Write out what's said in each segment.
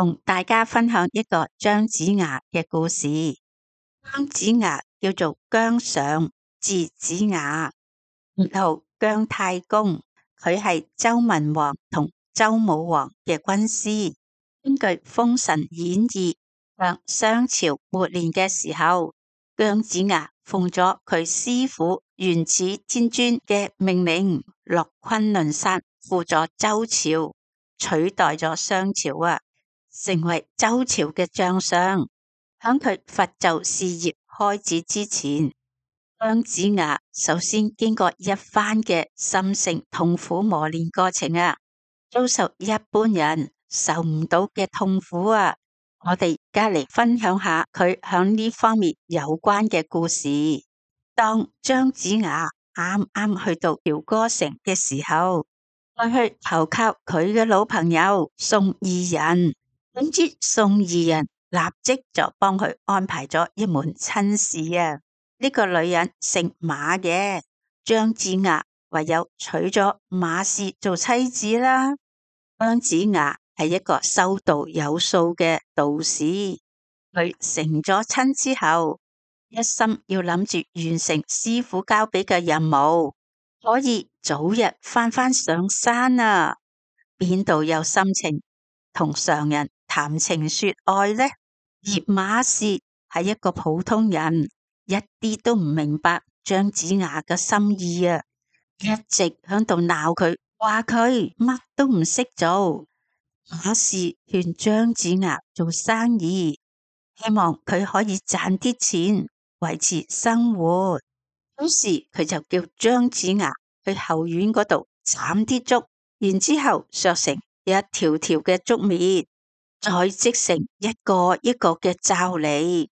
同大家分享一個姜子牙嘅故事。姜子牙叫做姜尚，字子牙，然後姜太公，佢係周文王同周武王嘅軍師。根據《封神演義》，向商朝末年嘅時候，姜子牙奉咗佢師父元始天尊嘅命令，落崑崙山輔佐周朝，取代咗商朝成為周朝嘅將相。響佢伐紂事業開始之前，姜子牙首先經過一番嘅心性痛苦磨練過程遭受一般人受唔到嘅痛苦我哋而家嚟分享下佢響呢方面有關嘅故事。當姜子牙啱啱去到朝歌城嘅時候，佢去投靠佢嘅老朋友宋義人，點知宋義人立即就幫佢安排咗一門親事呢個女人姓馬嘅，姜子牙唯有娶咗馬氏做妻子啦。姜子牙係一個修道有素嘅道士，佢成咗親之後，一心要諗住完成師父交俾嘅任務，可以早日返上山邊度有心情同常人談情說愛呢？而馬氏係一個普通人，一啲都唔明白姜子牙嘅心意一直響度鬧佢，話佢乜都唔識做。馬氏勸姜子牙做生意，希望佢可以賺啲錢維持生活。於是佢就叫姜子牙去後院嗰度斬啲竹，然之後削成一條條嘅竹篾，再織成一個一個嘅罩籬，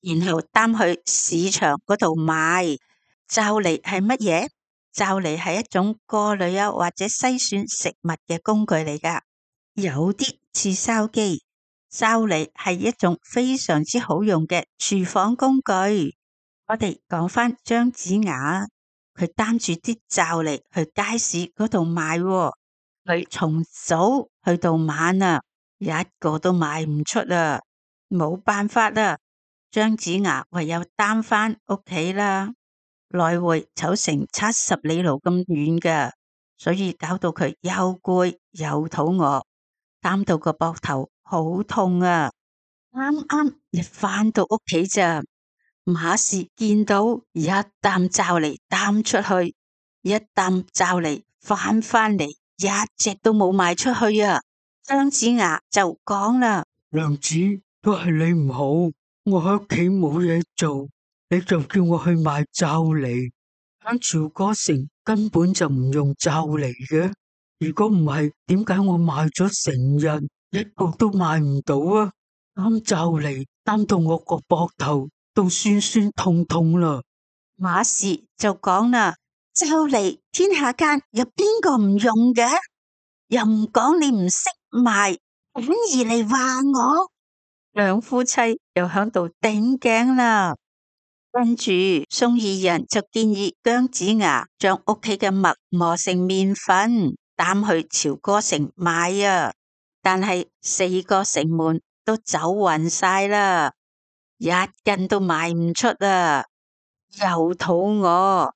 然後擔去市場嗰度賣。罩籬係乜嘢？罩籬係一種過濾或者篩選食物嘅工具嚟噶，有啲似筲箕。罩籬係一種非常之好用嘅廚房工具。我哋講返姜子牙，佢擔住啲罩籬去街市嗰度賣，佢從早去到晚一個都賣唔出冇辦法姜子牙唯有擔返屋企啦，來回走成70里路咁遠㗎，所以搞到佢又攰又肚餓，擔到個膊頭好痛啱啱一返到屋企咋，馬氏見到一擔罩籬擔出去，一擔罩籬返嚟，一隻都冇賣出去姜子牙就講啦：娘子，都係你唔好，我喺屋企冇嘢做，你就叫我去賣罩籬。喺朝歌城根本就唔用罩籬嘅，如果唔係，點解我賣咗成日一個都賣唔到擔罩籬擔到我個膊頭都酸酸痛痛啦。馬氏就講啦：罩籬天下間有邊個唔用嘅？又唔講你唔識賣，反而嚟話我。兩夫妻又響度頂頸啦。跟住宋義人就建議姜子牙將屋企嘅麥磨成麵粉，擔去朝歌城賣但係4個城門都走勻晒啦，一斤都賣唔出又肚餓，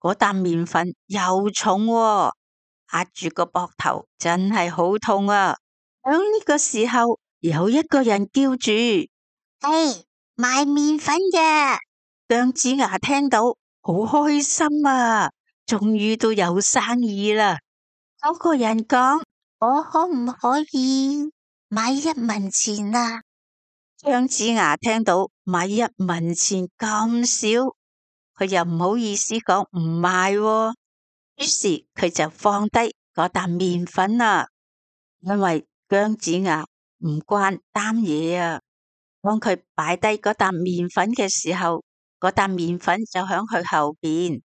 嗰擔麵粉又重壓住個膊頭真係好痛響呢個時候，有一個人叫住：賣麵粉嘅。姜子牙聽到好開心終於都有生意啦。嗰個人講：我可唔可以買1文錢姜子牙聽到買1文錢咁少，佢又唔好意思講唔賣於是佢就放低嗰擔麵粉因為姜子牙唔慣擔嘢當佢擺低嗰擔麵粉嘅時候，嗰擔麵粉就響佢後邊，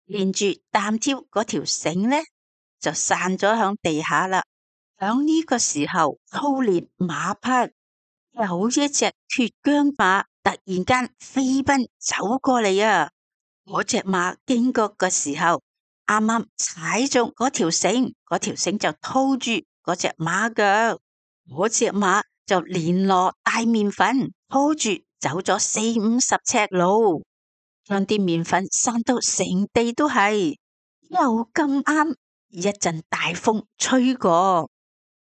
連住擔挑嗰條繩呢，就散咗響地下啦。響呢個時候，操練馬匹有一隻脫韁馬突然間飛奔走過嚟嗰隻馬經過嘅時候，啱啱踩中嗰條繩，嗰條繩就拖住嗰隻馬腳，嗰隻馬就連攞大麵粉拖住走咗40-50尺路，將啲麵粉散到成地都係。又咁啱一陣大風吹過，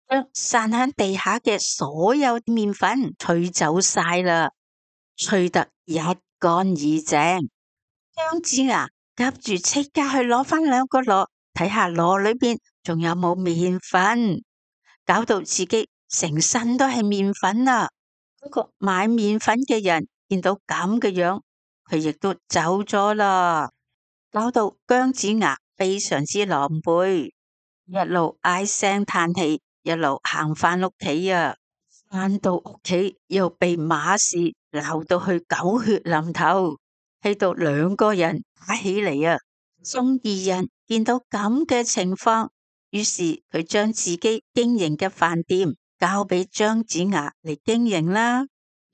將散喺地下嘅所有麵粉吹走晒啦，吹得一乾二淨。姜子牙急住即刻去攞返2個籮，睇下籮裏邊仲有冇麵粉，搞到自己成身都係麵粉啦。嗰個買麵粉嘅人見到咁嘅樣，佢亦都走咗啦，搞到姜子牙非常之狼狽，一路唉聲嘆氣，一路行返屋企啊。返到屋企又被馬氏鬧到去狗血淋頭，氣到2個人打起嚟啊。宋二人見到咁嘅情況，於是佢將自己經營嘅飯店交俾姜子牙嚟經營啦。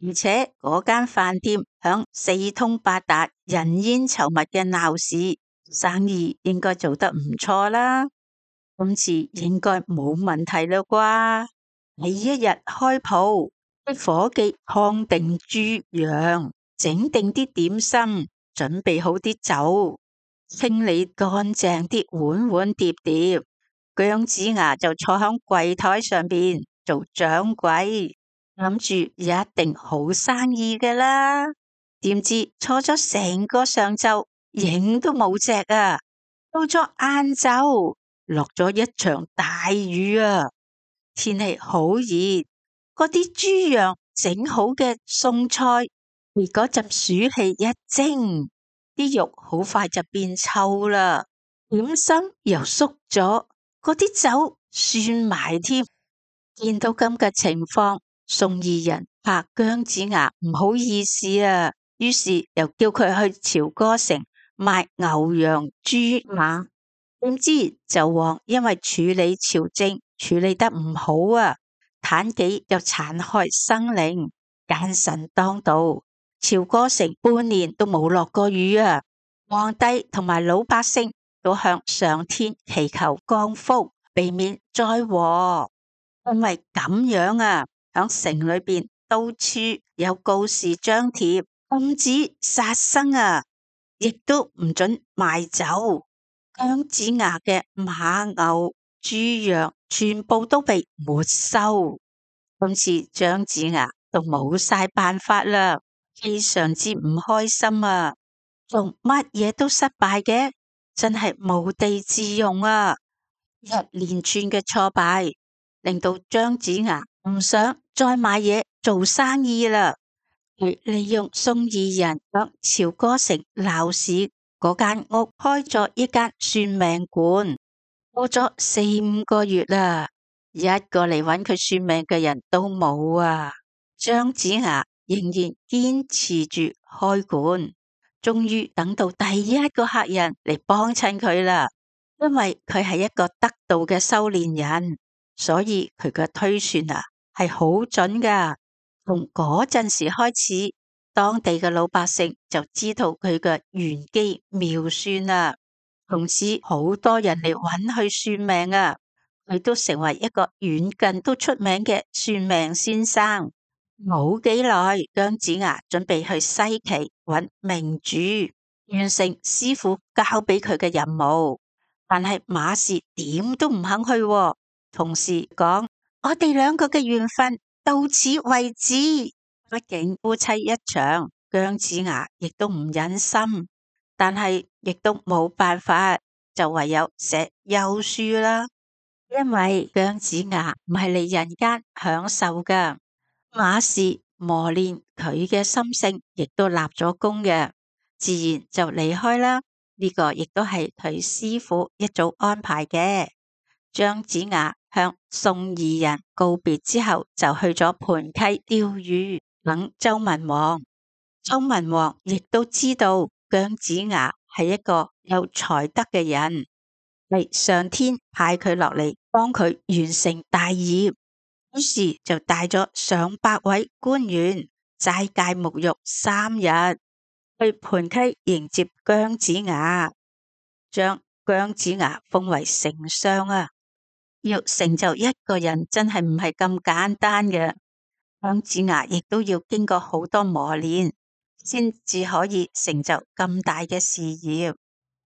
而且嗰間飯店響四通八達、人煙稠密嘅鬧市，生意應該做得唔錯啦。今次應該冇問題啦啩？第一日開鋪，啲伙計燙定豬羊，整定啲點心，準備好啲酒，清理乾淨啲碗碗碟碟。姜子牙就坐響櫃台上邊做掌櫃，諗住一定好生意㗎啦。點知坐咗成個上晝，影都冇隻啊！到咗晏晝，落咗一場大雨啊！天氣好熱，嗰啲豬羊整好嘅餸菜，被嗰陣暑氣一蒸，啲肉好快就變臭啦，點心又縮咗，嗰啲酒酸埋添。見到咁嘅情況，宋二人怕姜子牙唔好意思啊，於是又叫佢去朝歌城賣牛羊豬馬。點知紂王因為處理朝政處理得唔好啊，妲己又殘害生靈，奸臣當道，朝歌城半年都冇落過雨啊。皇帝同埋老百姓都向上天祈求降福，避免災禍。因為咁樣啊，響城裏邊到處有告示張貼，禁止殺生啊，亦都唔准賣酒。姜子牙嘅馬牛豬羊全部都被沒收，今次姜子牙都冇晒辦法啦，非常之唔開心啊！做乜嘢都失敗嘅，真係無地自容啊！一連串嘅挫敗，令到姜子牙唔想再買嘢做生意啦。佢利用宋二人響朝歌城鬧市嗰間屋開咗一間算命館，過咗4-5個月啦，一個嚟揾佢算命嘅人都冇啊。姜子牙仍然堅持住開館，終於等到第一個客人嚟幫襯佢啦。因為佢係一個得道嘅修煉人，所以佢嘅推算啊係好準噶。從嗰陣時開始，當地嘅老百姓就知道佢嘅玄機妙算啦。從此好多人嚟揾佢算命啊，佢都成為一個遠近都出名嘅算命先生。冇幾耐，姜子牙準備去西岐揾明主，完成師傅交俾佢嘅任務。但係馬氏點都唔肯去喎，同時講：我哋2個嘅緣分到此為止。畢竟夫妻一場，姜子牙亦都唔忍心，但係亦都冇辦法，就唯有寫休書啦。因為姜子牙唔係嚟人間享受噶，馬氏磨練佢嘅心性，亦都立咗功嘅，自然就離開啦。呢個亦都係佢師傅一早安排嘅。姜子牙向宋二人告別之後，就去咗盤溪釣魚等周文王。周文王亦都知道姜子牙係一個有才德嘅人，係上天派佢落嚟幫佢完成大業，於是就帶咗上百位官員齋戒沐浴3日。去盤溪迎接姜子牙，將姜子牙封為丞相啊！要成就一個人真係唔係咁簡單嘅，姜子牙亦都要經過好多磨練，先至可以成就咁大嘅事業。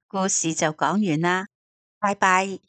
故事就講完啦，拜拜。